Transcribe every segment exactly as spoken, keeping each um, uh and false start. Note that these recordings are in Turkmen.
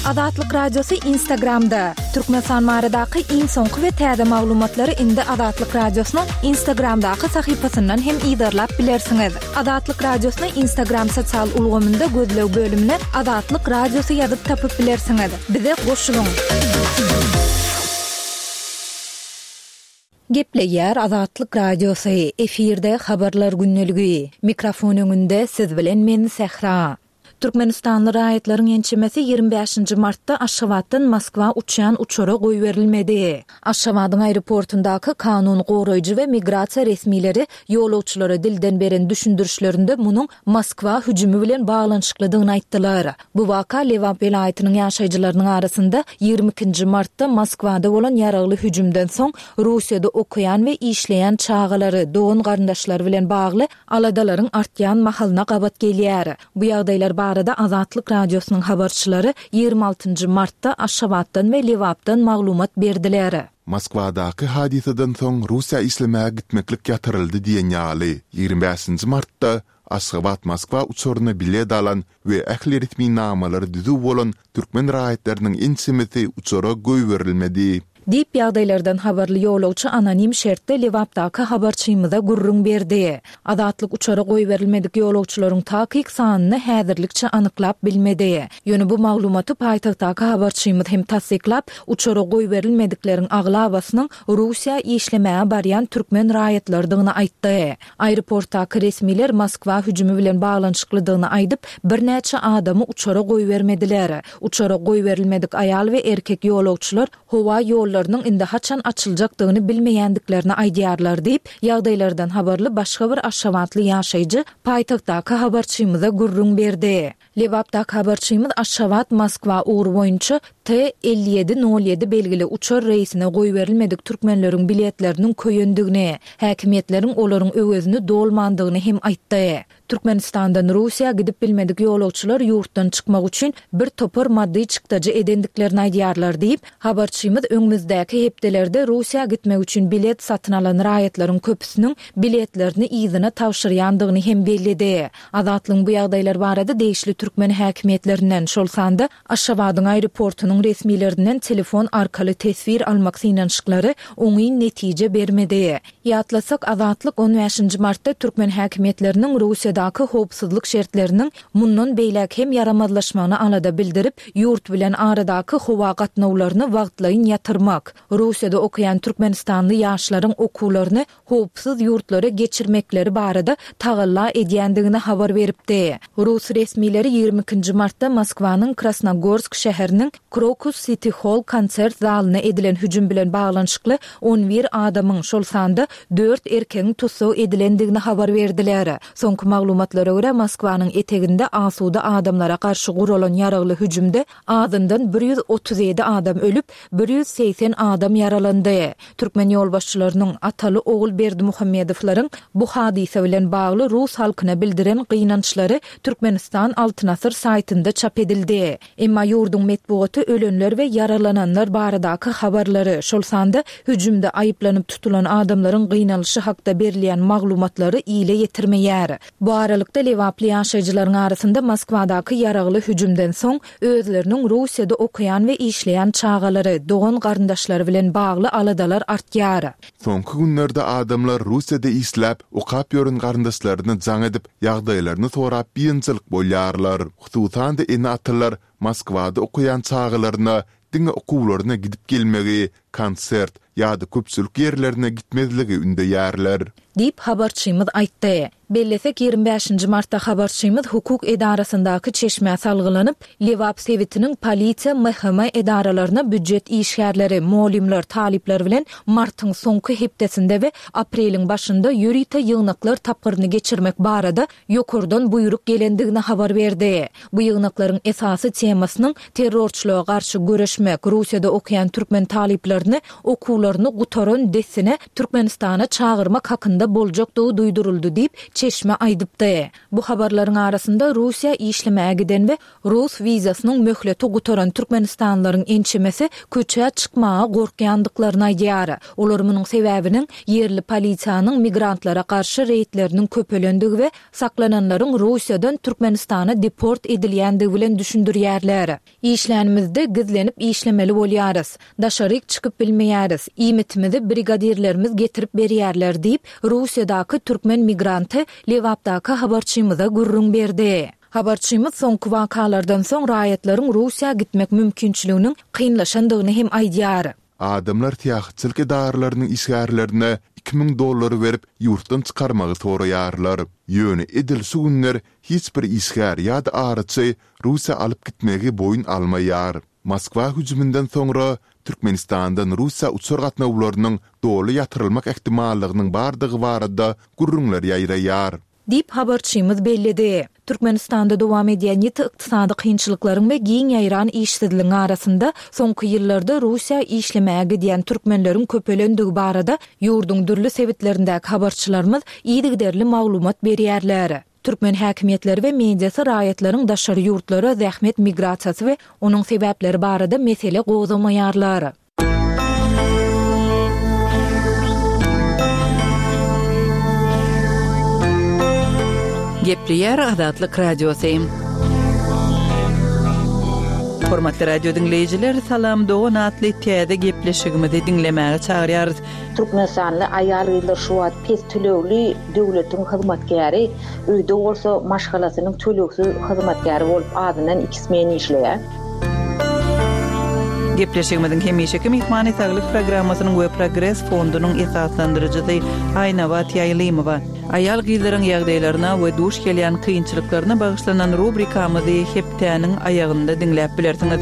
Azatlyk Radiosy Instagramda. Türkmenistan baradaky iň soňky we täze maglumatlary indi Azatlyk Radiosynyň Instagramdaky sahypasyndan hem yzarlap bilersiňiz. Azatlyk Radiosyny Instagram sosial ulgamynda gözleg bölümine Azatlyk Radiosy ýazyp tapyp bilersiňiz. Bize goşulyň. Gepleýär Azatlyk Radiosy, efirde habarlar gündeligi. Mikrofon öňünde siz bilen men Sähra. Türkmenistanly raýatlaryň ençemesi ýigrimi bäşinji martda Aşgabatdan Moskwa uçýan uçara goýberilmedi. Aşgabadyň aeroportyndaky kanun goraýjy we migrasiýa resmileri ýolagçylara dilden beren düşündirişlerinde munuň Moskwa hüjümi bilen baglanyşyklydygyny aýtdylar. Bu waka Lebap welaýatynyň ýaşaýjylarynyň arasynda ýigrimi ikinji martda Moskwada bolan ýaragly hüjümden soň Russiýada okaýan we işleýän çagalary, dogan-garyndaşlary bilen bagly aladalaryň artýan mahalyna gabat gelýär. Bu ýagdaýlar barada Azatlyk Radiosynyň habarçylary ýigrimi altynjy martda Aşgabatdan we Lebapdan maglumat berdiler. Moskwadaky hadysadan soň Russiýa işlemäge gitmeklik ýatyryldy diýen ýaly, ýigrimi bäşinji martda Aşgabat-Moskwa uçaryna bilet alan we ähli resminamalary düzüw bolan türkmen raýatlarynyň ençemesi uçara goýberilmedi. Diýip, ýagdaýlardan habarly ýolagçy anonim şertde Lebapdaky habarçymyza gürrüň berdi. Azatlyk uçara goýberilmedik ýolagçylaryň takyk sanyny häzirlikçe anyklap bilmedi. Ýöne bu maglumaty paýtagtdaky habarçymyz hem tassyklap, uçara goýberilmedikleriň aglabasynyň Russiýa işlemäge barýan türkmen raýatlarydygyny aýtdy. Aeroportdaky resmiler Moskwa hüjümi bilen baglanyşyklydygyny aýdyp, birnäçe adamy uçara goýbermediler. Uçara goýberilmedik aýal we erkek ýolagçylar howa ýollarynyň indi haçan açyljakdygyny bilmeýändiklerini aýdýarlar diýip, ýagdaýlardan habarly başga bir aşgabatly ýaşaýjy paýtagtdaky habarçymyza gürrüň berdi. Lebapdaky habarçymyz Aşgabat-Moskwa ugry boýunça T elli ýedi nol ýedi belgili uçar reýsine goýberilmedik türkmenleriň biletleriniň köýendigini, häkimiýetleriň olaryň öwezini dolmandygyny hem aýtdy. Türkmenistandan Russiýa gidip bilmedik ýolagçylar ýurtdan çykmak üçin bir topar maddy çykdajy edendiklerini aýdýarlar diýip, habarçymyz öňümizdäki hepdelerde Russiýa gitmek üçin bilet satyn alan raýatlaryň köpüsiniň biletlerini yzyna tabşyrýandygyny hem belledi. Azatlygyň bu ýagdaýlar barada degişli türkmen häkimiýetlerinden, şol sanda Aşgabadyň aeroportunyň resmilerinden telefon arkaly teswir almak synanyşyklary oňyn netije bermedi. Ýatlasak, Azatlyk on bäşinji martda türkmen häkimiýetleriniň Russiýadaky howpsuzlyk şertleriniň mundan beýläk hem ýaramazlaşmagyna alada bildirip, ýurt bilen aradaky howa gatnawlaryny wagtlaýyn ýatyrmak, Russiýada okaýan türkmenistanly ýaşlaryň okuwlaryny howpsuz ýurtlara geçirmekleri barada tagalla edýändigini habar beripdi. Rus resmileri ýigrimi ikinji martda Moskwanyň Krasnogorsk şäheriniň Krokus Siti Holl konsert zalyna edilen hüjüm bilen baglanyşykly on bir adamyň, şol sanda dört erkegiň tussag edilendigini habar berdiler. Soňky maglumatlara görä, Moskwanyň eteginde asuda adamlara garşy guralan ýaragly hüjümde azyndan bir ýüz otuz ýedi adam ölüp, bir ýüz segsen adam ýaralandy. Türkmen ýolbaşçylarynyň ataly-ogul Berdimuhamedowlaryň bu hadysa bilen bagly rus halkyna bildiren gynançlary Türkmenistan Altyn Asyr saýtynda çap edildi. Emma ýurduň metbugaty ölenler we ýaralananlar baradaky habarlary, şol sanda hüjümde aýyplanyp tutulan adamlaryň gynalyşy hakda berilýän maglumatlary ile ýetirmeýär. Bu aralykda lebaply ýaşaýjylaryň arasynda Moskwadaky ýaragly hüjümden soň özleriniň Russiýada okaýan we işleýän çagalary, dogan-garyndaşlary bilen bagly aladalar artýar. Soňky günlerde adamlar Russiýada işläp, okap ýören garyndaşlaryna jaň edip, ýagdaýlaryny sorap biynjalyk bolýarlar. Hususan-da ene-atalar Moskwada okaýan çagalaryna diňe okuwlaryna gidip gelmegi, konsert ýa-da köpçülik ýerlerine gitmezligi ündeýärler. Diýip, habarçymyz aýtdy. Bellesek, ýigrimi bäşinji martda habarçymyz hukuk edarasyndaky çeşmä salgylanyp, Lebap sebitiniň polisiýa, M H M edaralaryna býujet işgärleri, mugallymlar, talyplar bilen martyň soňky hepdesinde we apreliň başynda ýörite ýygnaklar tapgyryny geçirmek barada ýokardan buýruk gelendigini habar berdi. Bu ýygnaklaryň esasy temasynyň terrorçylyga garşy göreşmek, Russiýada okaýan türkmen talyplaryny okuwlaryny gutaran dessine Türkmenistana çagyrmak hakynda boljakdygy duýduryldy diýip, çeşme aýdypdy. Bu habarlaryň arasynda Russiýa işlemäge giden we rus wizasynyň möhleti gutaran türkmenistanlylaryň ençemesi köçä çykmaga gorkýandyklaryny aýdýar. Olar munuň sebäbiniň ýerli polisiýanyň migrantlara garşy reýdleriniň köpelendigi we saklananlaryň Russiýadan Türkmenistana deport edilýändigi bilen düşündirýärler. Işlänimizde gizlenip işlemeli bolýarys. Daşaryk çykyp bilmeýäris. Iýmitimizi brigadirlerimiz getirip berýärler diýip, Russiýadaky türkmen migranty Lebapdaky habarçymyza gürrüň berdi. Habarçymyz soňky wakalardan soň raýatlaryň Russiýa gitmek mümkinçiliginiň kynlaşandygyny hem aýdýar. Adamlar syýahatçylyk edaralarynyň işgärlerine iki müň dollar berip, ýurtdan çykarmagy soraýarlar. Ýöne edil şu günler hiç bir işgär ýa-da araçy Russiýa alyp gitmegi boýun almaýar. Moskwa hüjüminden soňra Türkmenistandan Russiýa uçar gatnawlarynyň doly ýatyrylmak ähtimallygynyň bardygy barada gürrüňler ýaýraýar. Diýip, habarçymyz belledi. Türkmenistanda dowam edýän ýiti ykdysady kynçylyklaryň we giň ýaýran işsizligiň arasynda, soňky ýyllarda Russiýa işlemäge gidýän türkmenleriň köpelendigi barada ýurduň dürli sebitlerindäki habarçylarymyz yzygiderli maglumat berýärler. Türkmen häkimiýetleri we mediasy raýatlaryň daşary ýurtlara zähmet migrasiýasy we onuň sebäpleri barada mesele gozgamaýarlar. Gepleýär Azatlyk Radiosy. Hormatly radio diňleýjiler, Salam dogan atly täze gepleşigimizi diňlemäge çagyrýarys. Türkmenistanly aýal-gyzlar şu wagt pes tölegli döwletiň hyzmatkäri, öýde bolsa maşgalasynyň tölegsiz hyzmatkäri bolup azyndan iki smen işleýär. Gepleşigimiziň hemişeki myhmany Saglyk programmasynyň we Progres fondunyň esaslandyryjysy Aýnabat Ýaýlymowa. Aýal-gyzlaryň ýagdaýlaryna we duş gelýän kynçylyklaryna bagyşlanan rubrikamyzy hepdäniň aýagynda diňläp bilersiňiz.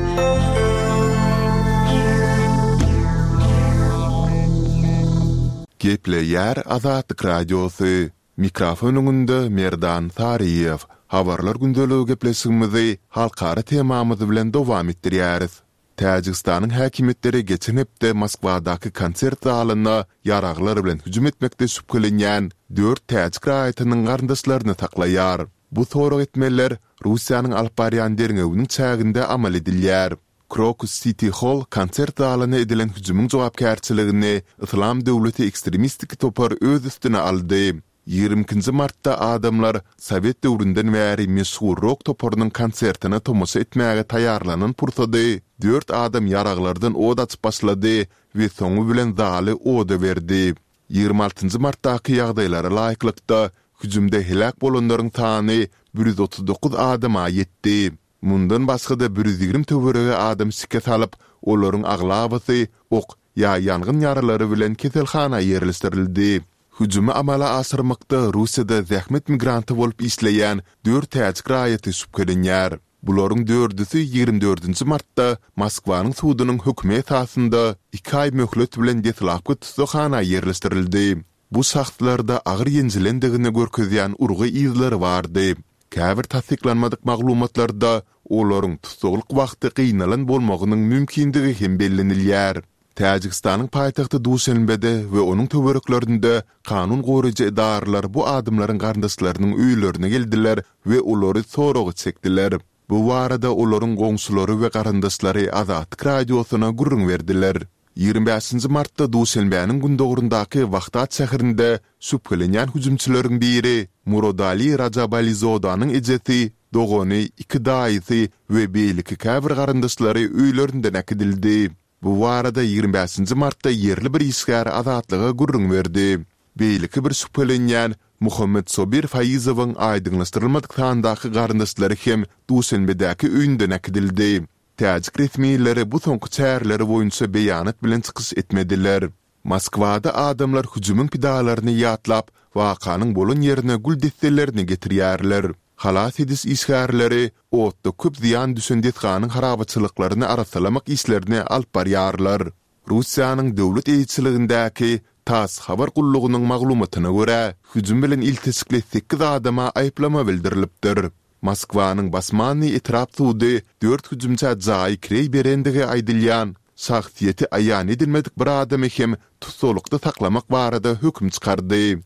Gepleýär Azatlyk Radiosy. Mikrofon öňünde Merdan Saryýew. Habarlar gündeligi gepleşigimizi halkara temamyz bilen dowam etdirýäris. Täjigistanyň häkimiýetleri geçen hepde Moskwadaky konsert zalyna ýaraglar bilen hüjüm etmekde şübhelenýän dört täjik raýatynyň garyndaşlaryny saklaýar. Bu sorag etmeler Russiýanyň alyp barýan derňewiniň çäginde amal edilýär. Krokus Siti Hall konsert zalyna edilen hüjümiň jogapkärçiligini Yslam döwleti ekstremistik topar öz üstüne aldy. Ýigrimi ikinji martda adamlar sowet döwründen bäri meşhur rok toparynyň konsertine tomaşa etmäge taýýarlanan pursady dört adam ýaraglardan ot açyp başlady we soňy bilen zaly oda berdi. Ýigrimi altynjy martdaky ýagdaýlara laýyklykda, hüjümde heläk bolanlaryň sany bir ýüz otuz dokuz adama ýetdi. Mundan başga-da bir ýüz ýigrimi töweregi adam şikes alyp, olaryň aglabasy ok ýa ýangyn ýaralary bilen keselhana ýerleşdirildi. Hüjümi amala aşyrmakda Russiýada zähmet migranty bolup işleýän dört täjik raýaty şübhelenýär. Bularyň dördüsi ýigrimi dördünji martda Moskwanyň sudunyň hökümi esasynda iki aý möhlet bilen deslapky tussaghana ýerleşdirildi. Bu şahslarda agyr ýenjilendigini görkezýän urgy yzlary bardy. Käbir tassyklanmadyk maglumatlarda olaryň tussaglyk wagty gynalan bolmagynyň mümkindigi hem bellenilýär. Täjigistanyň paýtagty Duşenbede we onuň töwereklerinde kanun goraýjy edaralar bu adamlaryň garyndaşlarynyň öýlerine geldiler we olary soraga çekdiler. Bu barada olaryň goňşulary we garyndaşlary Azatlyk Radiosyna gürrüň berdiler. Ýigrimi bäşinji martda Duşenbäniň gündogaryndaky Wahdat şäherinde şübhelenýän hüjümçileriň biri Murodali Rajabalizodanyň ejesi, dogany, iki daýysy we beýleki käbir garyndaşlary öýlerinden äkidildi. Bu barada ýigrimi bäşinji martda ýerli bir işgär Azatlyga gürrüň berdi. Beýleki bir şübhelenýän Muhammetsobir Faizowyň aýdyňlaşdyrylmadyk sandaky garyndaşlary hem Duşenbedäki öýünden äkidildi. Täjik resmileri bu soňky çäreleri boýunça beýanat bilen çykyş etmediler. Moskwada adamlar hüjümiň pidalaryny ýatlap, wakanyň bolan ýerine gül desselerini getirýärler. Halas ediş işgärleri otda köp zyýan düşen desganyň harabaçylyklaryny arassalamak işlerini alyp barýarlar. Russiýanyň döwlet eýeçiligindäki TASS habar gullugynyň maglumatyna görä, hüjüm bilen ilteşikli sekiz adama aýyplama bildirilipdir. Moskwanyň Basmannyý etrap sudy dört hüjümçä jaýy kireý berendigi aýdylýan, şahsyýeti aýan edilmedik bir adamy hem tussaglykda saklamak barada höküm çykardy.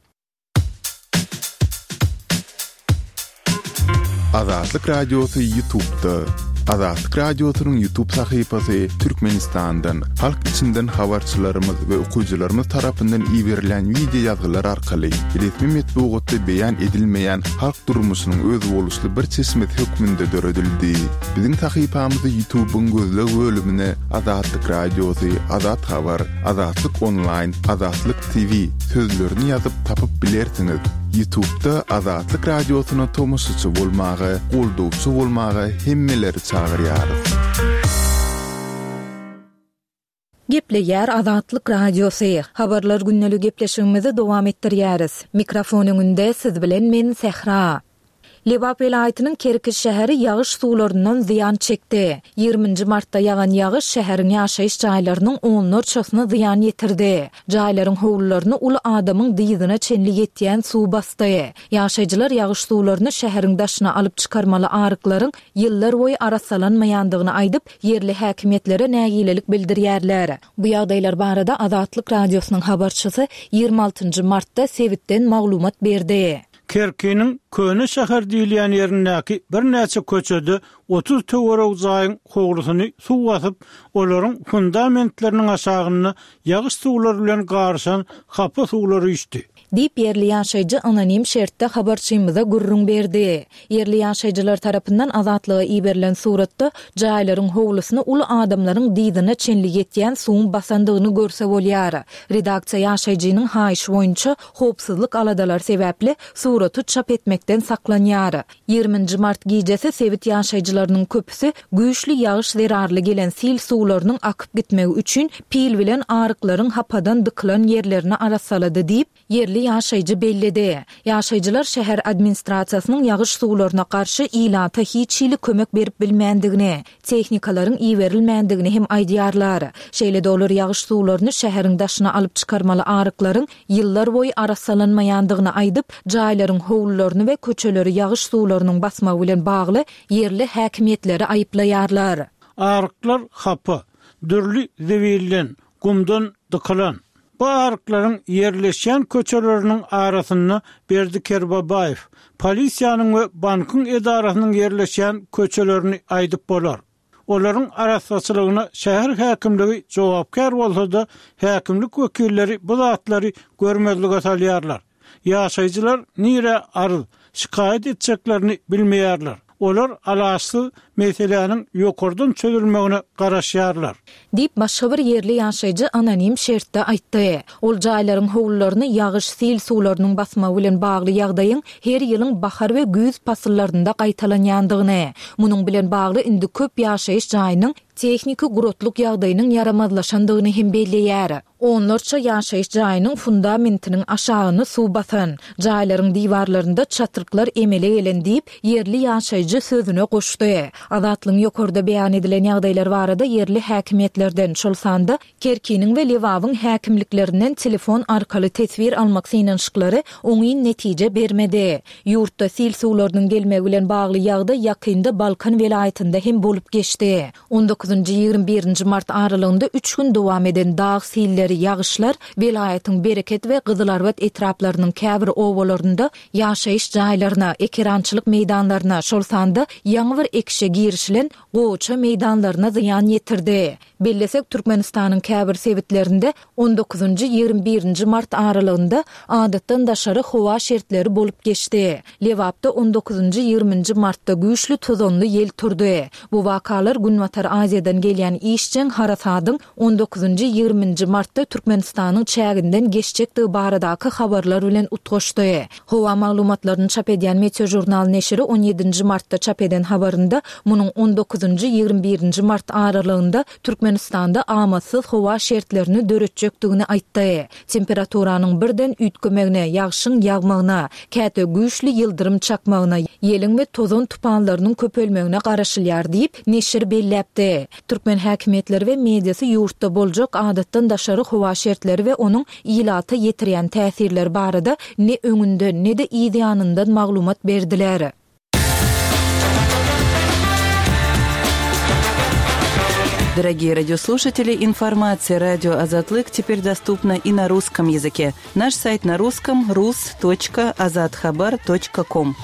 Azatlyk Radiosy YouTube'da. Azatlyk Radiosynyň YouTube sahypasy Türkmenistandan, halk içinden habarçylarymyz we okyjylarymyz tarapyndan iberilen wideo ýazgylar arkaly resmi metbugatda beýan edilmeýän halk durmuşynyň özboluşly bir çeşmesi hökmünde döredildi. Biziň sahypamyzy YouTube'yň gözleg bölümine Azatlyk Radiosy, Azat Habar, Azatlyk Online, Azatlyk T V sözlerini ýazyp tapyp bilersiňiz. YouTube'da Azatlyk Radiosyna tomaşaçy bolmaga, goldawçy bolmaga hemmeleri çagyrýarys. Gepleýär Azatlyk Radiosy. Habarlar gündelik gepleşigimizi dowam etdirýäris. Mikrofon öňünde siz bilen men Sähra. Lebap welaýatynyň Kerki şäheri ýagyş suwlaryndan zyýan çekdi. Ýigriminji martda ýagan ýagyş şäheriň ýaşaýyş jaýlarynyň onlarçasyna zyýan ýetirdi. Jaýlaryň howlularyny uly adamyň dyzyna çenli ýetýän suw basdy. Ýaşaýjylar ýagyş suwlaryny şäheriň daşyna alyp çykarmaly aryklaryň ýyllar boýy arassalanmaýandygyny aýdyp, ýerli häkimiýetlere nägilelik bildirýärler. Bu ýagdaýlar barada Azatlyk Radiosynyň habarçysy ýigrimi altynjy martda sebitden maglumat berdi. Kerkiniň Köne şäher diýilýän ýerindäki birnäçe köçede otuz töwerek jaýyň howlusyny suw basyp, olaryň fundamentleriniň aşagynda ýagyş suwlary bilen garyşan hapa suwlar üýşdi. Diýip ýerli ýaşaýjy anonim şertde habarçymyza gürrüň berdi. Ýerli ýaşaýjylar tarapyndan Azatlyga iberilen suratda jaýlaryň howlusyny uly adamlaryň dyzyna çenli ýetýän suwuň basandygyny görse bolýar. Redaksiýa ýaşaýjynyň haýyşy boýunça howpsuzlyk aladalar sebäpli suraty çap etmekden saklanýar. Ýigriminji mart gijesi sebit ýaşaýjylarynyň köpüsi güýçli ýagyş zerarly gelen sil suwlarynyň akyp gitmegi üçin pil bilen aryklaryň hapadan dykylan ýerlerini arassalady diýip, ýerli ýaşaýjy belledi. Ýaşaýjylar şäher administrasiýasynyň ýagyş suwlaryna garşy ilata hiç hili kömek berip bilmändigini, tehnikalaryň iberilmändigini hem aýdýarlar. Şeýle-de olar ýagyş suwlaryny şäheriň daşyna alyp çykarmaly aryklaryň ýyllar boýy arassalanmaýandygyny aýdyp, jaýlaryň howlularyny we köçeleri ýagyş suwlarynyň basmagy bilen bagly ýerli häkimiýetleri aýyplaýarlar. Aryklar hapa, dürli zebilden, gumdan dykylan. Bu aryklaryň ýerleşýän köçeleriniň arasynda Berdi Kerbabaýew, polisiýanyň we bankyň edarasynyň ýerleşýän köçelerini aýdyp bolar. Olaryň arassaçylygyna şäher häkimligi jogapkär bolsa-da, häkimlik wekilleri bu zatlary görmezlige salýarlar. Ýaşaýjylar nirä arz, şikaýat etjeklerini bilmeýärler. Olar alaçsyz meseläniň ýokardan çözülmegine garaşýarlar. Diýip başga bir ýerli ýaşaýjy anonim şertde aýtdy. Ol jaýlaryň howlularyny ýagyş sil suwlarynyň basmagy bilen bagly ýagdaýyň her ýylyň bahar we güýz pasyllarynda gaýtalanýandygyny, munuň bilen bagly indi köp ýaşaýyş jaýynyň tehniki guratlyk ýagdaýynyň ýaramazlaşandygyny hem belleýär. Onlarça ýaşaýyş jaýynyň fundamentiniň aşagyny suw basan, jaýlaryň diwarlarynda çatryklar emele gelen diýip, ýerli ýaşaýjy sözüne goşdy. Azatlygyň ýokarda beýan edilen ýagdaýlar barada ýerli häkimiýetlerden, şol sanda Kerkiniň we Lebabyň häkimliklerinden telefon arkaly teswir almak synanyşyklary oňyn netije bermedi. Ýurtda sil suwlarynyň gelmegi bilen bagly ýagdaý ýakynda Balkan welaýatynda hem bolup geçdi. On dokuzynjy ýigrimi birinji mart aralygynda üç gün dowam eden dag silleri, ýagyşlar welaýatyň Bereket we Gyzylarbat etraplarynyň käbir obalarynda ýaşaýyş jaýlaryna, ekerançylyk meýdanlaryna, şol sanda ýaňy bir ekişe girişilen gowaça meýdanlaryna zyýan ýetirdi. Bellesek, Türkmenistanyň käbir sebitlerinde on dokuzynjy ýigrimi birinji mart aralygynda adatdan daşary howa şertleri bolup geçdi. Lebapda on dokuzynjy ýigriminji martda güýçli tozanly ýel turdy. Bu wakalar Günbatar Aziýadan gelýän işjeň harasadyň on dokuzynjy ýigriminji martda Türkmenistanyň çäginden geçjekdigi baradaky habarlar bilen utgaşdy. Howa maglumatlaryny çap edýän Meteojurnal neşiri on ýedinji martda çap eden habarynda munuň on dokuzynjy ýigrimi birinji mart aralygynda Türkmenistanda amatsyz howa şertlerini döretjekdigini aýtdy. Temperaturanyň birden üýtgemegine, ýagşyň ýagmagyna, käte güýçli ýyldyrym çakmagyna, ýeliň we tozan tupanlarynyň köpelmegine garaşylýar diýip, neşir belläpdi. Türkmen häkimiýetleri we mediasy ýurtda boljak adatdan daşary howa şertleri we onuň ilata ýetirýän täsirleri barada ne öňünden, ne-de yz ýanyndan maglumat berdiler. Дорогие радиослушатели, информация радио Азатлык теперь доступна и на русском языке. Наш сайт на русском рус точка азатхабар точка ком.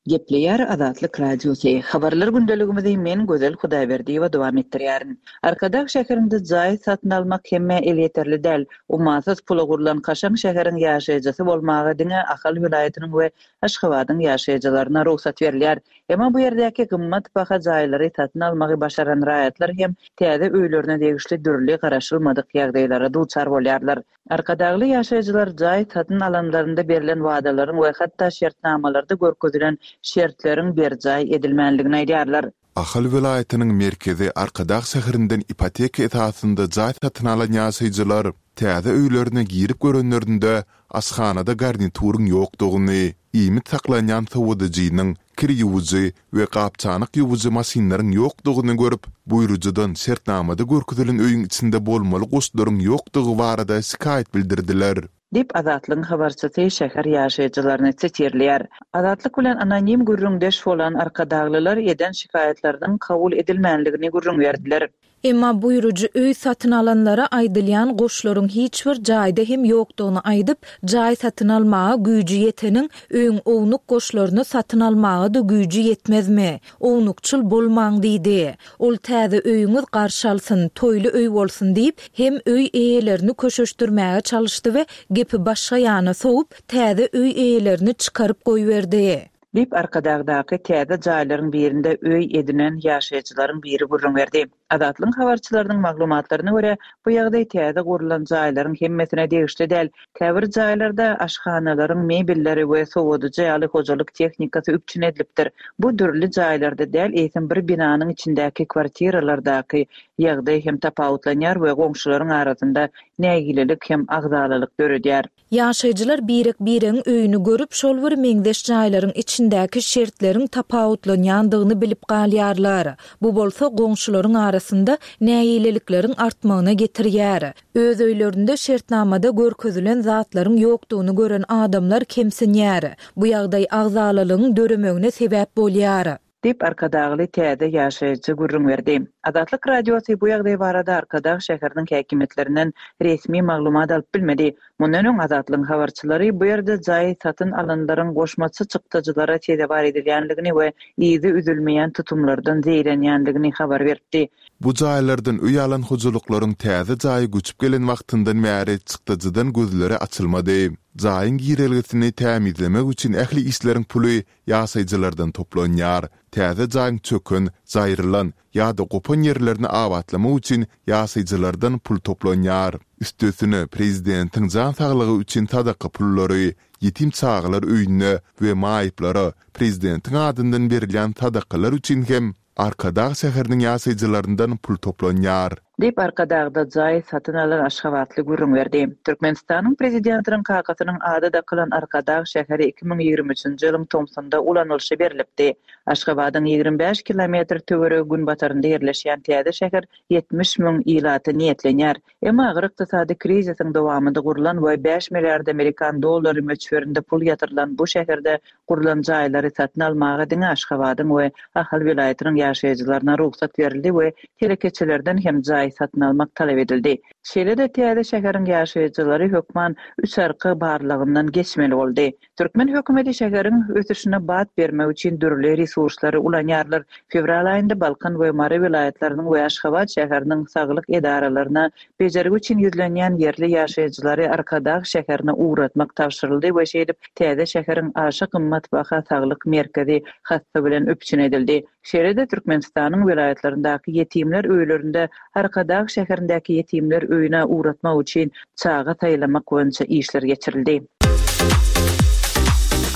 Gepleýär Azatlyk Radiosy. Habarlar gündeligimizi men Gözel Hudaýberdiýewa dowam etdirýärin. Arkadag şäherinde jaý satyn almak hemmä elýeterli däl. Ummasyz pula gurlan kaşaň şäheriň ýaşaýjysy bolmaga diňe Ahal welaýatynyň we Aşgabadyň ýaşaýjylaryna rugsat berilýär. Emma bu ýerdäki gymmat baha jaýlary satyn almagy başaran raýatlar hem täze öýlerine degişli dürli garaşylmadyk ýagdaýlara duçar bolýarlar. Arkadagly ýaşaýjylar jaý satyn alanlarynda berlen wadalaryň we hatda şertnamalarda görkezilen şertleriň berjaý edilmänligini aýdýarlar. Ahal welaýatynyň merkezi Arkadag şäherinden ipoteka esasynda jaý satyn alan ýaşaýjylar täze öýlerine girip görenlerinde aşhanada garnituryň ýokdugyny, iýmit saklanýan sowadyjynyň, kir ýuwujy we gap-çanak ýuwujy maşynlaryň ýokdugyny görüp, buýrujydan şertnamada görkezilen öýüň içinde bolmaly goşlaryň ýokdugy barada şikaýat bildirdiler. Diýip, Azatlygyň habarçysy şäher ýaşaýjylaryny sitirleýär. Azatlyk bilen anonim gürrüňdeş bolan arkadaglylar eden şikaýatlarynyň kabul edilmänligini gürrüň berdiler. Emma buýrujy öý satyn alanlara aýdylýan goşlaryň hiç bir jaýda hem ýokdugyny aýdyp, jaý satyn almaga güýji ýeteniň öýüň ownuk goşlaryny satyn almaga-da güýji ýetmezmi? Ownukçyl bolmaň diýdi. Ol täze öýüňiz garşy alsyn, toýly öý bolsun diýip, hem öý eýelerini köşeşdirmäge çalyşdy we gepi başga ýana sowup, täze öý eýelerini çykaryp goýberdi. Diýip, Arkadagdaky täze jaýlaryň birinde öý edinen ýaşaýjylaryň biri gürrüň berdi. Azatlygyň habarçylarynyň maglumatlaryna görä, bu ýagdaý täze gurlan jaýlaryň hemmesine degişli däl. Käbir jaýlarda aşhanalaryň mebelleri we sowadyjy ýaly hojalyk tehnikasy üpjün edilipdir. Bu dürli jaýlarda däl, eýsem bir binanyň içindäki kwartiralardaky ýagdaý hem tapawutlanýar we goňşularyň arasynda nägilelik hem agzalalyk döredýär. Ýaşaýjylar birek-biregiň öýüni görüp, şol bir meňzeş jaýlaryň içindäki şertleriň tapawutlanýandygyny bilip galýarlar. Bu bolsa goňşularyň arasynda nägilelikleriň artmagyna getirýär. Öz öýlerinde şertnamada görkezilen zatlaryň ýokdugyny gören adamlar kemsinýär. Bu ýagdaý agzalalygyň döremegine sebäp bolýar. Diýip, Arkadagly täze ýaşaýjy gürrüň berdi. Azatlyk Radiosy bu ýagdaý barada Arkadag şäheriniň häkimiýetlerinden resmi maglumat alyp bilmedi. Mundan öň Azatlygyň habarçylary bu ýerde jaý satyn alanlaryň goşmaça çykdajylara sezewar edilýänligini we yzy üzülmeýän tutumlardan zeýrenýänligini habar beripdi. Bu jaýlardan öý alan hojalyklaryň täze jaýa göçüp gelen wagtyndan bäri çykdajydan gözleri açylmady. Jaýyň girelgesini tämizlemek üçin ähli işleriň puly ýaşaýjylardan toplanýar. Täze jaýyň çöken, jaýrylan ýa-da gopan ýerlerini abatlamak üçin ýaşaýjylardan pul toplanýar. Üstesine, prezidentiň jan saglygy üçin sadaka pullary, ýetim çagalar öýüne we maýyplara prezidentiň adyndan berilýän sadakalar üçin hem Arkadag şäheriniň ýaşaýjylaryndan pul toplanýar. Diýip, Arkadagda jaý satyn alan aşgabatly gürrüň berdi. Türkmenistanyň Prezidentiniň kakasynyň ady dakylan Arkadag şäheri iki müň ýigrimi üçünji ýylyň tomsunda ulanylyşa berlipdi. Aşgabadyň ýigrimi bäş kilometr töweregi günbatarynda ýerleşýän täze şäher ýetmiş müň ilata niýetlenýär. Emma agyr ykdysady krizisiň dowamynda gurlan we bäş milliard amerikan dollary möçberinde pul ýatyrylan bu şäherde gurlan jaýlary satyn almaga diňe Aşgabadyň we Ahal welaýatynyň ýaşaýjylaryna rugsat berildi we telekeçilerden hem jaý satyn almak talap edildi. Şeýle-de täze şäheriň ýaşaýjylary hökman üç arka barlagyndan geçmeli boldy. Türkmen hökümeti şäheriň ösüşine bat bermek üçin dürli resurslary ulanýarlar. Fewral aýynda Balkan we Mary welaýatlarynyň we Aşgabat şäheriniň saglyk edaralaryna bejergi üçin ýüzlenýän ýerli ýaşaýjylary Arkadag şäherine ugratmak tabşyryldy we şeýdip täze şäheriň aşa gymmat baha saglyk merkezi hassa bilen üpjün edildi. Şeýle-de Türkmenistanyň welaýatlaryndaky ýetimler öýlerinde Arkadag şäherindäki ýetimler öýüne ugratmak üçin çaga saýlamak boýunça işler geçirildi.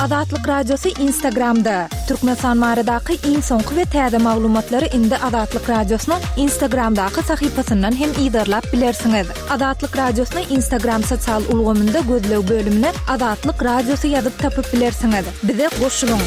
Azatlyk Radiosy Instagramda. Türkmenistan baradaky iň soňky we täze maglumatlary indi Azatlyk Radiosynyň Instagramdaky sahypasyndan hem yzarlap bilersiňiz. Azatlyk Radiosyny Instagram sosial ulgamynda gözleg bölümine Azatlyk Radiosy ýazyp tapyp bilersiňiz. Bize goşulyň.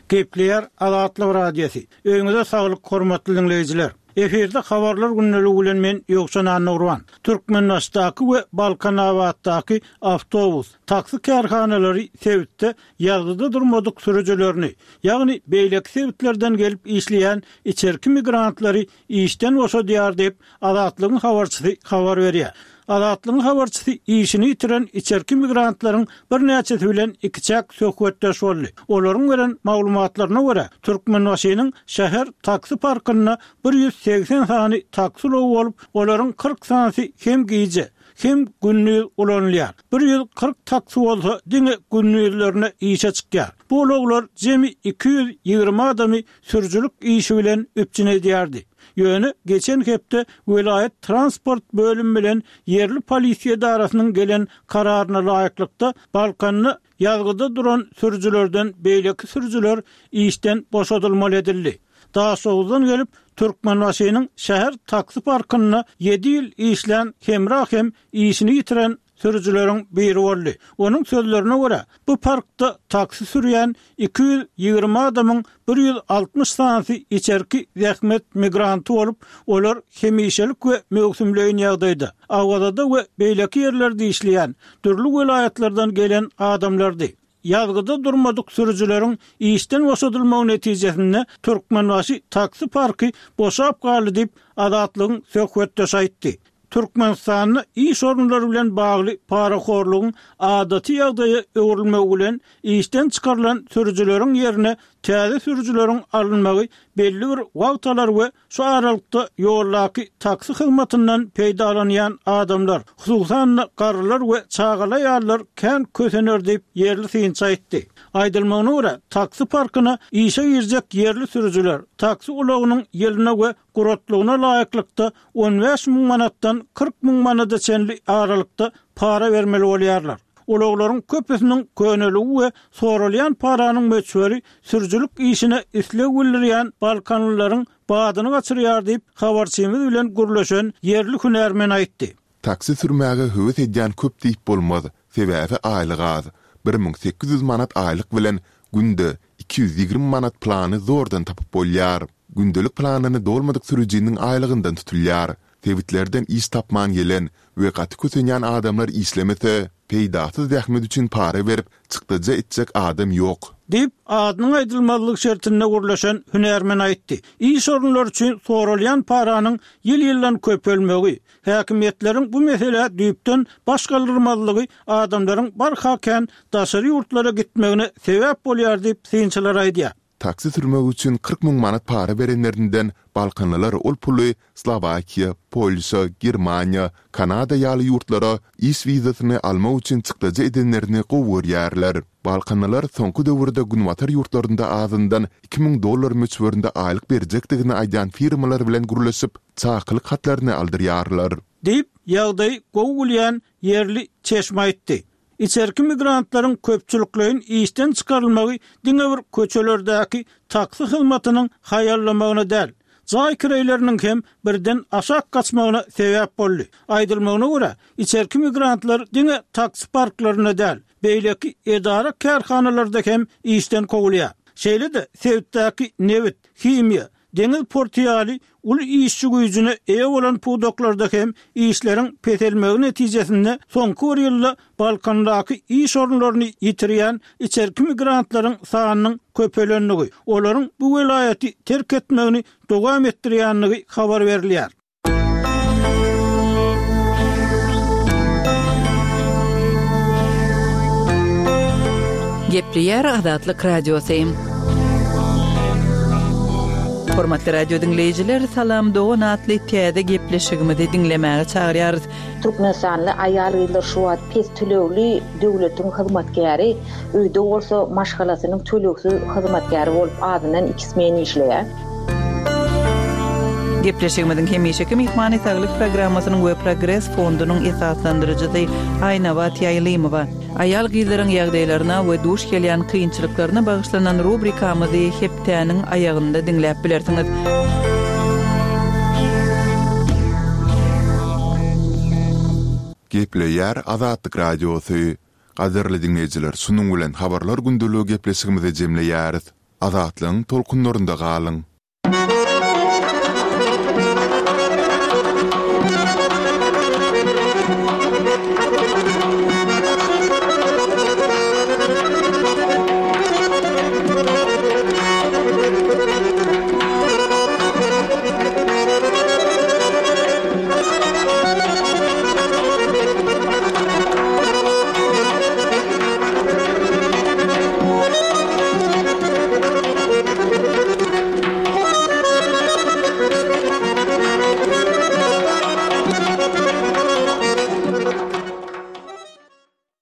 Gepleýär Azatlyk Radiosy. Öýüňize saglyk, hormatly diňleýjiler. Efirde habarlar gündeligi bilen men Ýowşan Annagurban. Türkmenbaşdaky we Balkanabatdaky awtobus, taksi kärhanalary sebitde ýazgyda durmadyk sürüjilerini, ýagny beýleki sebitlerden gelip işleýän içerki migrantlary işden boşadýar diýip, Azatlygyň habarçysy habar berýär. Azatlygyň habarçysy işini ýitiren içerki migrantlaryň birnäçesi bilen ikiçäk söhbetdeş boldy. Olaryň beren maglumatlaryna görä, Türkmenbaşynyň şäher taksi parkynda bir ýüz segsen sany taksi ulagy bolup, olaryň kyrk sanysy hem gije, hem gündiz ulanylýar. Bir ýüz kyrk taksi bolsa diňe gündizlerine işe çykýar. Bu ulaglar jemi iki ýüz ýigrimi adamy sürüjilik işi bilen üpjün edýärdi. Ýöne geçen hepde welaýat transport bölümi bilen ýerli polisiýa edarasynyň gelen kararyna laýyklykda, Balkanda ýazgyda duran sürüjilerden beýleki sürüjiler işden boşadylmaly edildi. Daşoguzdan gelip, Türkmenbaşynyň şäher taksi parkynda ýedi ýyl işlän Hemra hem işini ýitiren sürüjileriň biri boldy. Onuň sözlerine görä, bu parkda taksi sürýän iki ýüz ýigrimi adamyň bir ýüz altmyş sanysy içerki zähmet migranty bolup, olar hemişelik we möwsümleýin ýagdaýda Awazada we beýleki ýerlerde işleýän, dürli welaýatlardan gelen adamlardy. Ýazgyda durmadyk sürüjileriň işden boşadylmagy netijesinde Türkmenbaşy taksi parky boşap galdy diýip, Azatlygyň söhbetdeşi aýtdy. Türkmenistanda iş orunlary bilen bagly parahorlugyň adaty ýagdaýa öwrülmegi bilen işden çykarylan sürüjileriň ýerine täze sürüjileriň alynmagy belli bir wagt alar we şu aralykda ýoldaky taksi hyzmatyndan peýdalanýan adamlar, hususan-da, garrylar we çagaly aýallar kän kösener diýip, ýerli synçy aýtdy. Aýdylmagyna görä, taksi parkyna işe girjek ýerli sürüjiler taksi ulagynyň ýylyna we guratlygyna laýyklykda on bäş müň manatdan kyrk müň manada çenli aralykda para bermeli bolýarlar. Ulaglaryň köpüsiniň köneligi we soralýan paranyň möçberi sürüjilik işine isleg bildirýän balkanlylaryň badyny gaçyrýar diýip, habarçymyz bilen gürleşen ýerli hünärmen aýtdy. Taksi sürmäge höwes edýän köp diýip bolmaz, sebäbi aýlyk az. Bir müň sekiz ýüz manat aýlyk bilen günde iki ýüz ýigrimi manat plany zordan tapyp bolýar. Gündelik planyny dolmadyk sürüjiniň aýlygyndan tutulýar. Sebitlerden iş tapman gelen we gaty kösenýän adamlar işlemese, peýdasyz zähmet üçin para berip, çykdajy etjek adam ýok. Diýip, adynyň aýdylmazlygy şertinde gürleşen hünärmen aýtdy. Iş orunlary üçin soralýan paranyň ýyl-ýyldan köpelmegi, häkimiýetleriň bu meselä düýpden baş galdyrmazlygy adamlaryň barha kän daşary ýurtlara gitmegine sebäp bolýar diýip, synçylar aýdýar. Taksi sürmek üçin kyrk müň manat para berenlerinden balkanlylar ol puly Slowakiýa, Polşa, Germaniýa, Kanada ýaly ýurtlara iş wizasyny almak üçin çykdajy edenlerini gowy görýärler. Balkanlylar soňky döwürde günbatar ýurtlarynda azyndan iki müň dollar möçberinde aýlyk berjekdigini aýdýan firmalar bilen gürleşip, çakylyk hatlaryny aldyrýarlar. Diýip, ýagdaýy gowy bilýän ýerli çeşme aýtdy. Içerki migrantlaryň köpçülikleýin işden çykarylmagy diňe bir köçelerdäki taksi hyzmatynyň haýallamagyna däl, jaý kireýleriniň hem birden aşak gaçmagyna sebäp boldy. Aýdylmagyna görä, içerki migrantlar diňe taksi parklarynda däl, beýleki edara-kärhanalarda hem işden kowulýar. Şeýle-de, sebitdäki nebit, himiýa, deňiz porty ýaly uly işçi güýjüne eýe bolan pudaklarda hem işleriň peselmegi netijesinde soňky bir ýylda Balkandaky iş orunlaryny ýitirýän içerki migrantlaryň sanynyň köpelendigi, olaryň bu welaýaty terk etmegini dowam etdirýändigi habar berilýär. Gepleýär Azatlyk Radiosy. Hormatly radio diňleýjiler, Salam dogan atly täze gepleşigimizi diňlemäge çagyrýarys. Türkmenistanly aýal-gyzlar şu wagt pes tölegli döwletiň hyzmatkäri, öýde bolsa maşgalasynyň tölegsiz hyzmatkäri bolup azyndan iki smen işleýär. Gepleşigimiziň hemişeki myhmany Saglyk programmasynyň we Progres fondunyň esaslandyryjysy Aýnabat Ýaýlymowa. Aýal-gyzlaryň ýagdaýlaryna we duş gelýän kynçylyklaryna bagyşlanan rubrikamyzy hepdäniň aýagynda diňläp bilersiňiz. Gepleýär Azatlyk Radiosy. Gadyrly diňleýjiler, şunuň bilen Habarlar gündeligi gepleşigimizi jemleýäris. Azatlygyň tolkunlarynda galyň!